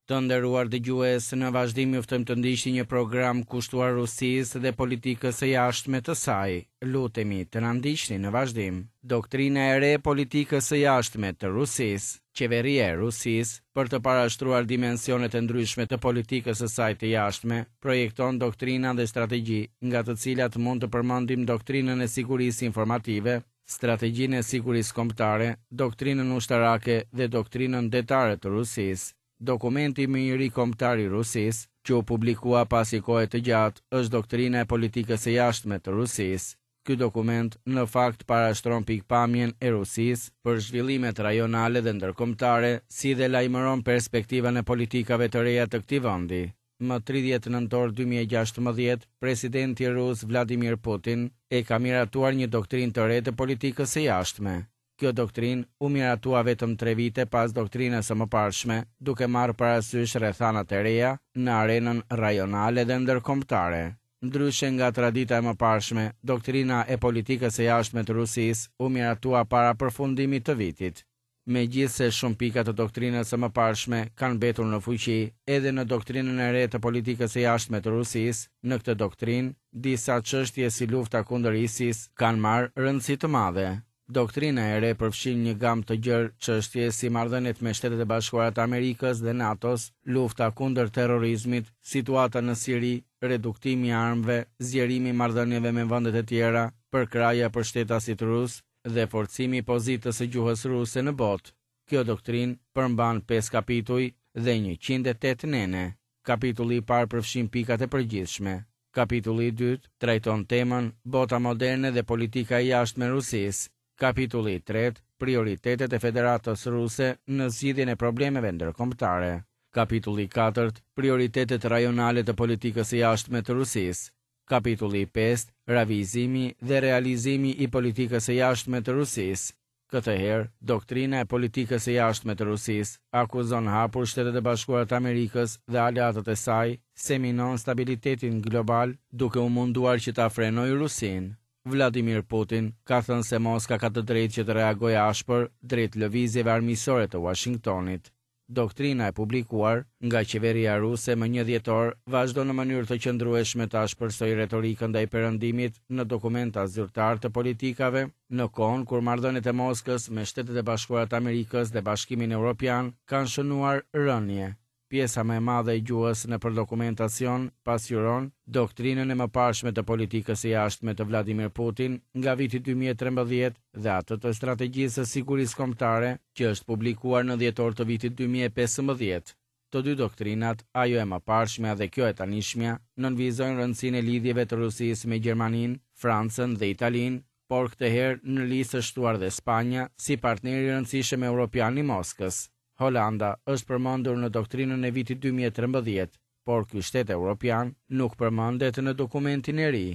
Të nderuar dëgjues, në vazhdim ju ftojmë të ndiqni një program kushtuar Rusisë dhe politikës së jashtme të saj. Lutemi të na ndiqni në vazhdim. Doktrina e re e politikës së jashtme të Rusisë, Qeveria e Rusisë, për të parashtruar dimensionet e ndryshme të politikës së saj të jashtme, projekton doktrina dhe strategji, nga të cilat mund të përmendim doktrinën e sigurisë informative, Strategjinë e Sigurisë Kombëtare, Doktrinën Ushtarake dhe Doktrinën Detare të Rusisë. Dokumenti më i ri kombëtar i Rusisë, që u publikua pas një kohe të gjatë, është Doktrina e Politikës së Jashtme të Rusisë. Ky dokument, në fakt parashtron pikëpamjen e Rusisë për zhvillimet rajonale dhe ndërkombëtare, si dhe lajmëron perspektivën e politikave të reja të këtij vendi. Më 30 nëntor 2016, presidenti rus Vladimir Putin e ka miratuar një doktrinë të re të politikës së jashtme. Kjo doktrinë u miratua vetëm tre vite pas doktrinës së mëparshme, duke marrë parasysh rrethanat e reja në arenën rajonale dhe ndërkombëtare. Ndryshe nga tradita e mëparshme, doktrina e politikës së jashtme të Rusisë u miratua para përfundimit të vitit. Megjithëse shumë pika të doktrinës së mëparshme kanë mbetur në fuqi edhe në doktrinën e re të politikës së jashtme të Rusisë, në këtë doktrinë, disa çështje si lufta kundër ISIS kanë marrë rëndësi të madhe. Doktrina e re përfshin një gamë të gjerë çështje si marrëdhëniet me Shtetet e Bashkuara të Amerikës dhe NATO-s, lufta kundër terrorizmit, situata në Siri, reduktimi i armëve, zgjerimi i marrëdhënieve me vendet e tjera, përkrahja për shtetasit rusë, dhe forcimi i pozitës së gjuhës ruse në botë. Kjo doktrinë përmban pesë kapituj dhe 108 nene. Kapitulli i parë përfshin pikat e përgjithshme. Kapitulli i dytë trajton temën Bota moderne dhe politika e jashtme e Rusisë. Kapitulli i tretë, prioritetet e Federatës Ruse në zgjidhjen e problemeve ndërkombëtare. Kapitulli i katërt, prioritetet rajonale të politikës së jashtme të Rusisë. Kapitulli i pestë, Ravijëzimi dhe realizimi i politikës së jashtme të Rusisë. Këtë herë, doktrina e politikës së jashtme të Rusisë akuzon hapur Shtetet e Bashkuara të Amerikës dhe aleatët e saj se minon stabilitetin global duke u munduar që ta frenojë Rusinë. Vladimir Putin ka thënë se Moska ka të drejtë që të reagojë ashpër drejt lëvizjeve armiqësore të Uashingtonit. Doktrina e publikuar nga qeveria ruse më 1 dhjetor vazhdon në mënyrë të qëndrueshme të ashpërsojë retorikën ndaj Perëndimit në dokumenta zyrtarë të politikave, në kohën kur marrëdhëniet e Moskës me Shtetet e Bashkuara të Amerikës dhe Bashkimin Evropian kanë shënuar rënie. Pjesa më e madhe e gjuhës nëpër dokumentacion pasqyron doktrinën e mëparshme të politikës së jashtme të Vladimir Putin nga viti 2013 dhe atë të strategjisë së sigurisë kombëtare që është publikuar në dhjetor të vitit 2015. Të dy doktrinat, ajo e mëparshmja dhe kjo e tanishmja, nënvizojnë rëndësinë e lidhjeve të Rusisë me Gjermaninë, Francën dhe Italinë, por këtë herë në listë është shtuar dhe Spanja si partner i rëndësishëm europian i Moskës. Holanda është përmendur në doktrinën e vitit 2013, por ky shtet europian nuk përmendet në dokumentin e ri.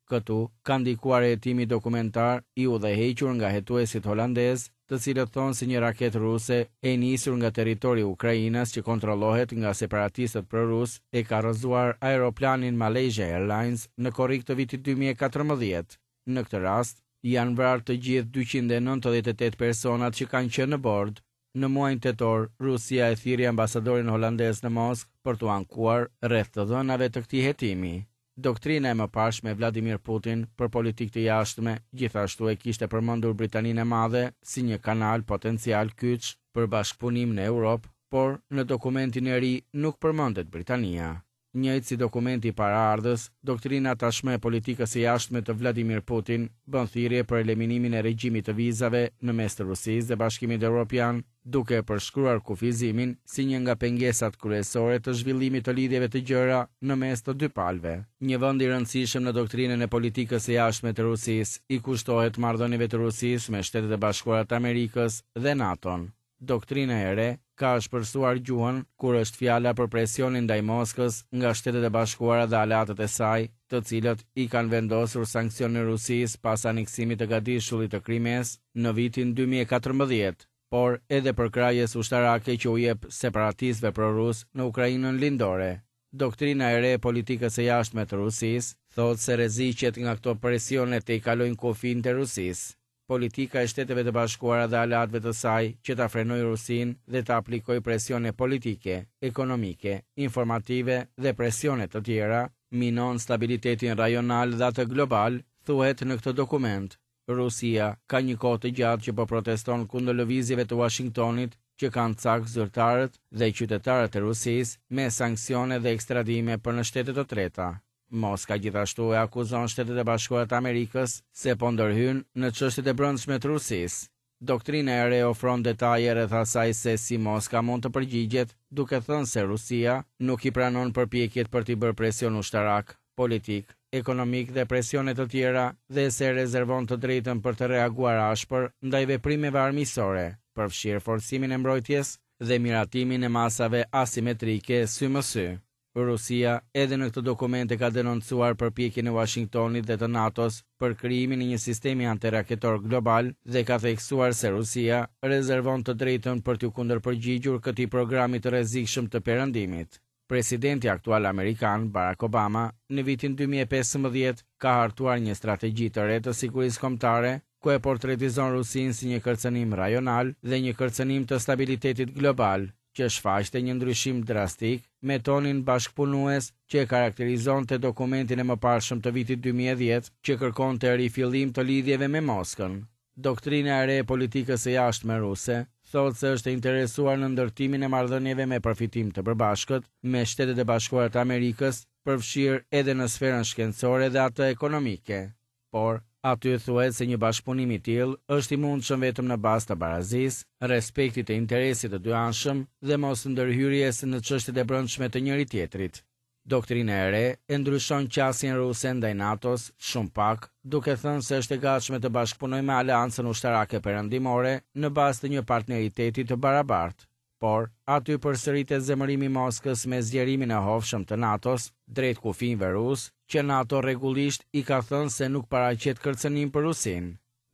Këtu ka ndikuar hetimi dokumentar i udhëhequr nga hetuesit holandez, të cilët thonë se një raketë ruse e nisur nga territori ukrainas që kontrollohet nga separatistët pro-rus e ka rrëzuar aeroplanin Malaysia Airlines në korrik të vitit 2014. Në këtë rast, janë vrarë të gjithë 298 personat që kanë qenë në bord. Në muajin tetor, Rusia e thirri ambasadorin holandez në Moskë për t'u ankuar rreth të dhënave të këtij hetimi. Doktrina e mëparshme e Vladimir Putin për politikë të jashtme gjithashtu e kishte përmendur Britaninë e Madhe si një kanal potencial kyç për bashkëpunim në Europë, por në dokumentin e ri nuk përmendet Britania. Njëjtë si dokumenti paraardhës, doktrina tashmë e politikës së jashtme të Vladimir Putin bën thirrje për eliminimin e regjimit të vizave në mes të Rusisë dhe Bashkimit Evropian, duke e përshkruar kufizimin si një nga pengesat kryesore të zhvillimit të lidhjeve të gjera në mes të dy palëve. Një vend i rëndësishëm në doktrinën e politikës së jashtme të Rusisë i kushtohet marrëdhënieve të Rusisë me Shtetet e Bashkuara të Amerikës dhe NATO-n. Doktrina e re ka ashpërsuar gjuhën kur është fjala për presionin ndaj Moskës nga Shtetet e Bashkuara dhe aleatët e saj, të cilët i kanë vendosur sanksione Rusisë pas aneksimit të gadishullit të Krimesë në vitin 2014, por edhe përkrahjes ushtarake që u jep separatistëve pro-rus në Ukrainën lindore. Doktrina e re e politikës së jashtme të Rusisë thotë se rreziqet nga këto presione tejkalojnë kufijtë e Rusisë. Politika e Shteteve të Bashkuara dhe aleatëve të saj që ta frenojë Rusinë dhe të aplikojë presione politike, ekonomike, informative dhe presione të tjera, minon stabilitetin rajonal dhe atë global, thuhet në këtë dokument. Rusia ka një kohë të gjatë që po proteston kundër lëvizjeve të Uashingtonit që kanë cak zyrtarët dhe qytetarët e Rusisë me sanksione dhe ekstradime për në shtete të treta. Moska gjithashtu e akuzon Shtetet e Bashkuara të Amerikës se po ndërhyn në çështjet e brendshme të Rusisë. Doktrina e re ofron detaje rreth asaj se si Moska mund të përgjigjet, duke thënë se Rusia nuk i pranon përpjekjet për t'i bërë presion ushtarak, politik, ekonomik dhe presione të tjera dhe se rezervon të drejtën për të reaguar ashpër ndaj veprimeve armiqësore, përfshirë forcimin e mbrojtjes dhe miratimin e masave asimetrike sy më sy. Rusia edhe në këtë dokument e ka denoncuar përpjekjen e Uashingtonit dhe të NATO-s për krijimin e një sistemi antiraketor global dhe ka theksuar se Rusia rezervon të drejtën për t'iu kundërpërgjigjur këtij programi të rrezikshëm të Perëndimit. Presidenti aktual amerikan, Barack Obama, në vitin 2015 ka hartuar një strategji të re të sigurisë kombëtare, ku e portretizon Rusinë si një kërcënim rajonal dhe një kërcënim të stabilitetit global, që shfaqte një ndryshim drastik me tonin bashkëpunues që e karakterizonte dokumentin e mëparshëm të vitit 2010 që kërkonte rifillim të lidhjeve me Moskën. Doktrina e re e politikës së jashtme ruse thotë se është e interesuar në ndërtimin e marrëdhënieve me përfitim të përbashkët me Shtetet e Bashkuara të Amerikës, përfshirë edhe në sferën shkencore dhe atë ekonomike. Por, aty thuhet se një bashkëpunim i tillë është i mundshëm vetëm në bazë të barazisë, respektit të interesit të dyanshëm dhe mos ndërhyrjes në çështjet e brendshme të njëri-tjetrit. Doktrina e re e ndryshon qasjen ruse ndaj NATO-s shumë pak, duke thënë se është e gatshme të bashkëpunojë me aleancën ushtarake perëndimore në bazë të një partneriteti të barabartë. Por, aty përsëritet zemërimi i Moskës me zgjerimin e hovshëm të NATO-s drejt kufinjve rusë, që NATO rregullisht i ka thënë se nuk paraqet kërcënim për Rusinë.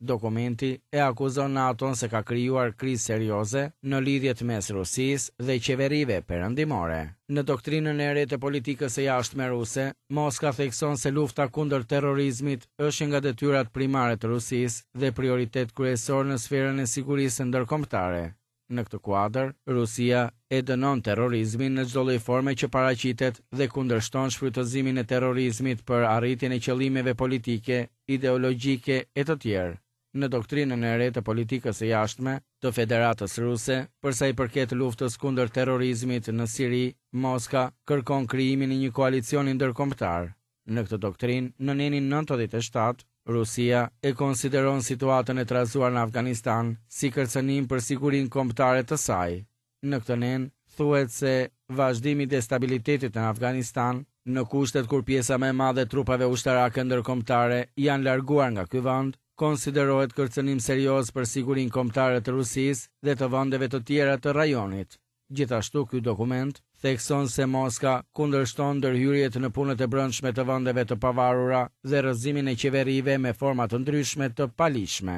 Dokumenti e akuzon NATO-n se ka krijuar krizë serioze në lidhjet mes Rusisë dhe qeverive perëndimore. Në doktrinën e re të politikës së jashtme ruse, Moska thekson se lufta kundër terrorizmit është një nga detyrat primare të Rusisë dhe prioritet kryesor në sferën e sigurisë ndërkombëtare. Në këtë kuadër, Rusia e dënon terrorizmin në çdo lloj forme që paraqitet dhe kundërshton shfrytëzimin e terrorizmit për arritjen e qëllimeve politike, ideologjike e të tjerë. Në doktrinën e re të politikës së jashtme të Federatës Ruse, për sa i përket luftës kundër terrorizmit në Siri, Moska kërkon krijimin e një koalicioni ndërkombëtar. Në këtë doktrinë, në nenin 97, Rusia e konsideron situatën e trazuar në Afganistan si kërcënim për sigurinë kombëtare të saj. Në këtë nen, thuhet se vazhdimi i destabilitetit në Afganistan, në kushtet kur pjesa më e madhe e trupave ushtarake ndërkombëtare janë larguar nga ky vend, konsiderohet kërcënim serioz për sigurinë kombëtare të Rusisë dhe të vendeve të tjera të rajonit. Gjithashtu ky dokument thekson se Moska kundërshton ndërhyrjet në punët e brendshme të vendeve të pavarura dhe rrëzimin e qeverive me forma të ndryshme të paligjshme.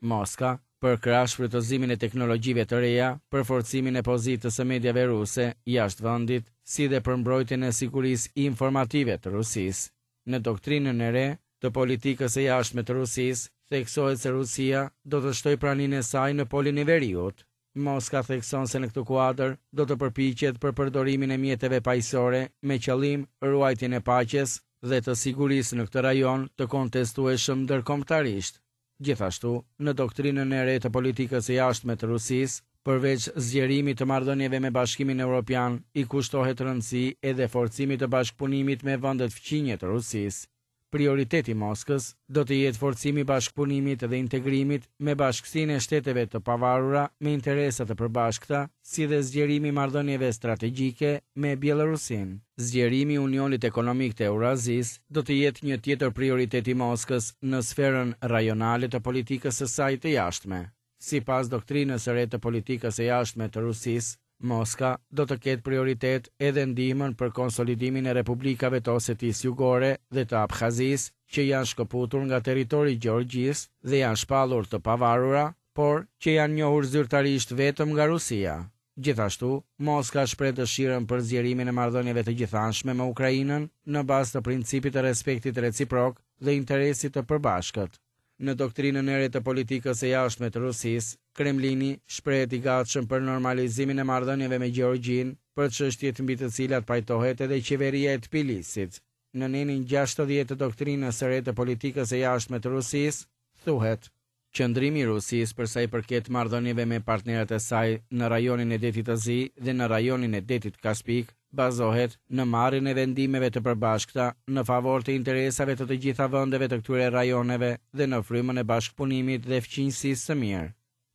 Moska përkrah shfrytëzimin e teknologjive të reja për forcimin e pozitës së mediave ruse jashtë vendit, si dhe për mbrojtjen e sigurisë informative të Rusisë. Në doktrinën e re të politikës së jashtme të Rusisë, theksohet se Rusia do të shtojë praninë e saj në Polin e Veriut. Moska thekson se në këtë kuadër do të përpiqet për përdorimin e mjeteve paqësore me qëllim ruajtjen e paqes dhe të sigurisë në këtë rajon të kontestueshëm ndërkombëtarisht. Gjithashtu, në doktrinën e re të politikës së jashtme të Rusisë, përveç zgjerimit të marrëdhënieve me Bashkimin Evropian, i kushtohet rëndësi edhe forcimit të bashkëpunimit me vendet fqinje të Rusisë. Prioritet i Moskës do të jetë forcimi i bashkëpunimit dhe integrimit me bashkësinë e shteteve të pavarura me interesa të përbashkëta, si dhe zgjerimi i marrëdhënieve strategjike me Bjellorusinë. Zgjerimi i Unionit Ekonomik të Eurazisë do të jetë një tjetër prioritet i Moskës në sferën rajonale të politikës së saj të jashtme. Sipas doktrinës së re të politikës së jashtme të Rusisë, Moska do të ketë prioritet edhe ndihmën për konsolidimin e republikave të Osetisë Jugore dhe të Abkhazisë, që janë shkëputur nga territori i Gjeorgjisë dhe janë shpallur të pavarura, por që janë njohur zyrtarisht vetëm nga Rusia. Gjithashtu, Moska shpreh dëshirën për zgjerimin e marrëdhënieve të gjithanshme me Ukrainën në bazë të principit të respektit reciprok dhe interesit të përbashkët. Në doktrinën e re të politikës së jashtme të Rusisë, Kremlini shprehet i gatshëm për normalizimin e marrëdhënieve me Gjeorgjinë, për çështjet mbi të cilat pajtohet edhe qeveria e Tbilisit. Në nenin 60 të doktrinës së re të politikës së jashtme të Rusisë, thuhet, Qëndrimi i Rusisë për sa i përket marrëdhënieve me partnerët e saj në rajonin e Detit të Zi dhe në rajonin e Detit Kaspik bazohet në marrjen e vendimeve të përbashkëta në favor të interesave të të gjitha vendeve të këtyre rajoneve dhe në frymën e bashkëpunimit dhe fqinjësisë së mirë.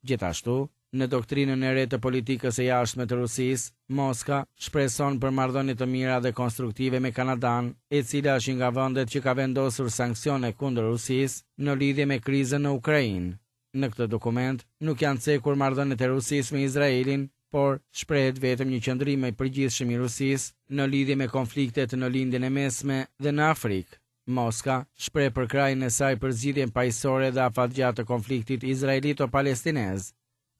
Gjithashtu, në doktrinën e re të politikës së jashtme të Rusisë, Moska shpreson për marrëdhënie të mira dhe konstruktive me Kanadanë, e cila është një nga vendet që ka vendosur sanksione kundër Rusisë në lidhje me krizën në Ukrainë. Në këtë dokument nuk janë cekur marrëdhëniet e Rusisë me Izraelin, por shprehet vetëm një qëndrim i përgjithshëm i Rusisë në lidhje me konfliktet në Lindjen e Mesme dhe në Afrikë. Moska shpreh përkrahjen e saj për zgjidhjen paqësore dhe afatgjatë të konfliktit izraelito-palestinez.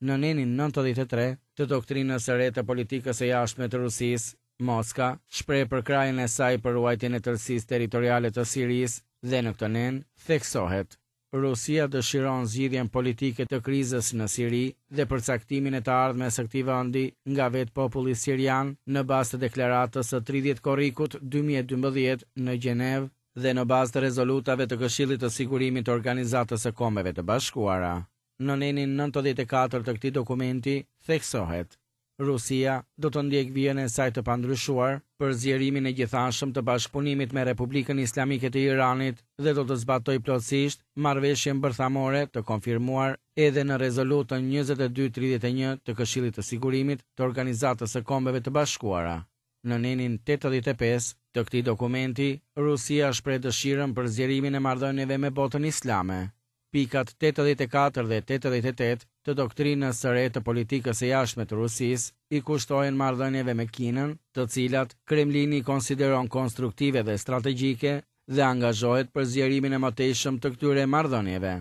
Në nenin 93 të doktrinës së re të politikës së jashtme të Rusisë, Moska shpreh përkrahjen e saj për ruajtjen e tërësisë territoriale të Sirisë dhe në këtë nen theksohet: Rusia dëshiron zgjidhjen politike të krizës në Siri dhe përcaktimin e të ardhmes së këtij vendi nga vetë populli sirian në bazë të deklaratës së 30 korrikut 2012 në Gjenevë dhe në bazë të rezolutave të Këshillit të Sigurimit të Organizatës së Kombeve të Bashkuara. Në nenin 94 të këtij dokumenti theksohet: Rusia do të ndjekë vijën e saj të pandryshuar për zgjerimin e gjithanshëm të bashkëpunimit me Republikën Islamike të Iranit dhe do të zbatojë plotësisht marrëveshjen bërthamore të konfirmuar edhe në rezolutën 2231 të Këshillit të Sigurimit të Organizatës së Kombeve të Bashkuara. Në nenin 85 të këtij dokumenti, Rusia shpreh dëshirën për zgjerimin e marrëdhënieve me botën islame. Pikat 84 dhe 88 të doktrinës së re të politikës së jashtme të Rusisë i kushtohen marrëdhënieve me Kinën, të cilat Kremlini i konsideron konstruktive dhe strategjike dhe angazhohet për zgjerimin e mëtejshëm të këtyre marrëdhënieve.